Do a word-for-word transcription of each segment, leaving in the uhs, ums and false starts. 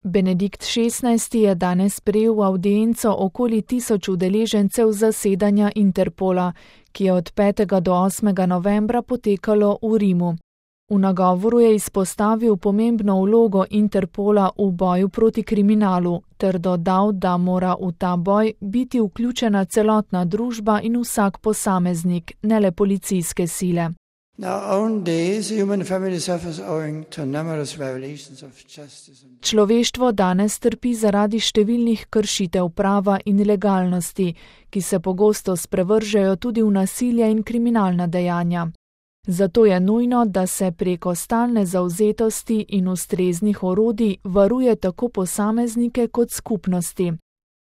Benedikt šestnajsti je danes sprejel v avdienco okoli tisoč udeležencev zasedanja Interpola, ki je od petega do osmega novembra potekalo v Rimu. V nagovoru je izpostavil pomembno vlogo Interpola v boju proti kriminalu ter dodal, da mora v ta boj biti vključena celotna družba in vsak posameznik, ne le policijske sile. Človeštvo danes trpi zaradi številnih kršitev prava in legalnosti, ki se pogosto sprevržejo tudi v nasilje in kriminalna dejanja. Zato je nujno, da se preko stalne zavzetosti in ustreznih orodij varuje tako posameznike kot skupnosti.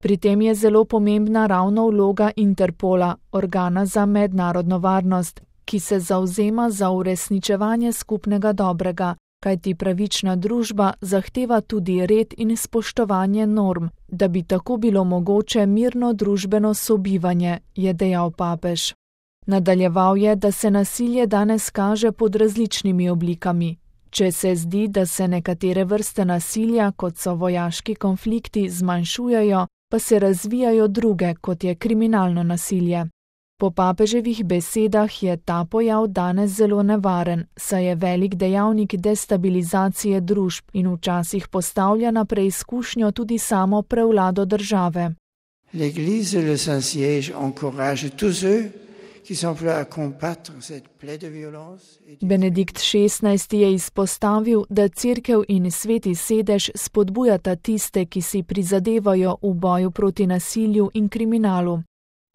Pri tem je zelo pomembna ravno vloga Interpola, organa za mednarodno varnost, ki se zavzema za uresničevanje skupnega dobrega, kajti pravična družba zahteva tudi red in spoštovanje norm, da bi tako bilo mogoče mirno družbeno sobivanje, je dejal papež. Nadaljeval je, da se nasilje danes kaže pod različnimi oblikami. Če se zdi, da se nekatere vrste nasilja, kot so vojaški konflikti, zmanjšujejo, pa se razvijajo druge, kot je kriminalno nasilje. Po papeževih besedah je ta pojav danes zelo nevaren, saj je velik dejavnik destabilizacije družb in včasih postavlja na preizkušnjo tudi samo prevlado države. L'Église le Saint-Siège encourage tous ceux qui sont prêts à combattre cette plaie de violence. Benedikt šestnajsti je izpostavil, da Cerkev in Sveti sedež spodbujata tiste, ki si prizadevajo v boju proti nasilju in kriminalu.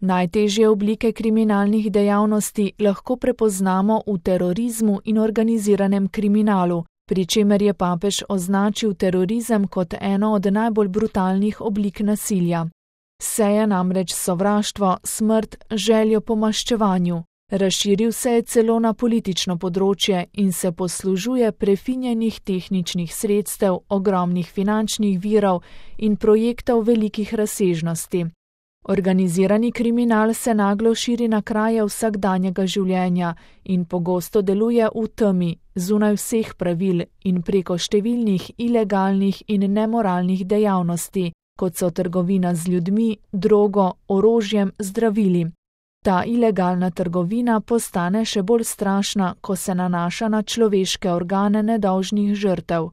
Najtežje oblike kriminalnih dejavnosti lahko prepoznamo v terorizmu in organiziranem kriminalu, pri čemer je papež označil terorizem kot eno od najbolj brutalnih oblik nasilja. Seje namreč sovraštvo, smrt, željo po maščevanju. Razširil se je celo na politično področje in se poslužuje prefinjenih tehničnih sredstev, ogromnih finančnih virov in projektov velikih razsežnosti. Organizirani kriminal se naglo širi na kraje vsakdanjega življenja in pogosto deluje v temi, zunaj vseh pravil in preko številnih ilegalnih in nemoralnih dejavnosti, kot so trgovina z ljudmi, drogo, orožjem, zdravili. Ta ilegalna trgovina postane še bolj strašna, ko se nanaša na človeške organe nedolžnih žrtev.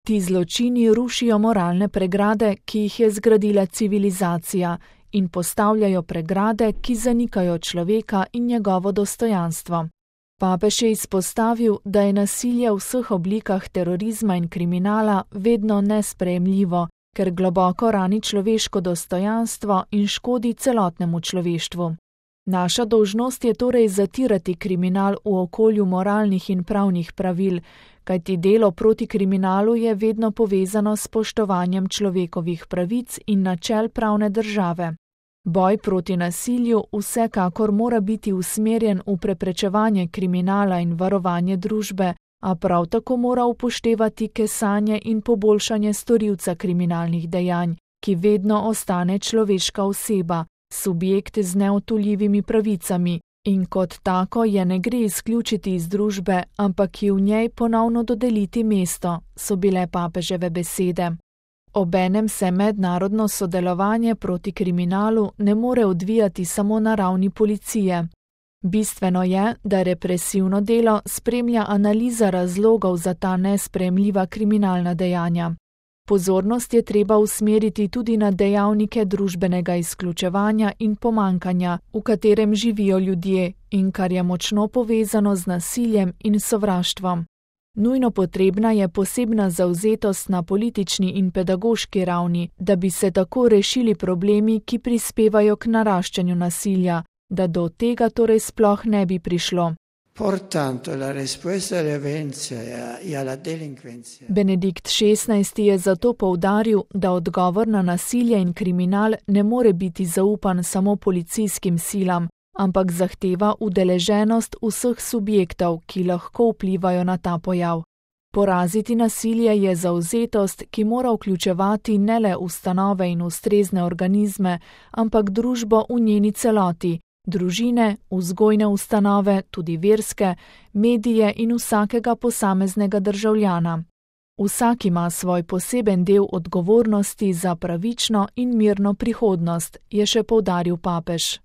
Ti zločini rušijo moralne pregrade, ki jih je zgradila civilizacija, in postavljajo pregrade, ki zanikajo človeka in njegovo dostojanstvo. Papež je izpostavil, da je nasilje v vseh oblikah terorizma in kriminala vedno nesprejemljivo, ker globoko rani človeško dostojanstvo in škodi celotnemu človeštvu. Naša dolžnost je torej zatirati kriminal v okolju moralnih in pravnih pravil, kajti delo proti kriminalu je vedno povezano s spoštovanjem človekovih pravic in načel pravne države. Boj proti nasilju vsekakor mora biti usmerjen v preprečevanje kriminala in varovanje družbe, a prav tako mora upoštevati kesanje in poboljšanje storilca kriminalnih dejanj, ki vedno ostane človeška oseba, subjekt z neodtujljivimi pravicami, in kot tako je ne gre izključiti iz družbe, ampak ji v njej ponovno dodeliti mesto, so bile papeževe besede. Obenem se mednarodno sodelovanje proti kriminalu ne more odvijati samo na ravni policije. Bistveno je, da represivno delo spremlja analiza razlogov za ta nesprejemljiva kriminalna dejanja. Pozornost je treba usmeriti tudi na dejavnike družbenega izključevanja in pomankanja, v katerem živijo ljudje in kar je močno povezano z nasiljem in sovraštvom. Nujno potrebna je posebna zavzetost na politični in pedagoški ravni, da bi se tako rešili problemi, ki prispevajo k naraščanju nasilja, da do tega torej sploh ne bi prišlo. Benedikt šestnajsti je zato poudaril, da odgovor na nasilje in kriminal ne more biti zaupan samo policijskim silam, ampak zahteva udeleženost vseh subjektov, ki lahko vplivajo na ta pojav. Poraziti nasilje je zavzetost, ki mora vključevati ne le ustanove in ustrezne organizme, ampak družbo v njeni celoti, družine, vzgojne ustanove, tudi verske, medije in vsakega posameznega državljana. Vsak ima svoj poseben del odgovornosti za pravično in mirno prihodnost, je še poudaril papež.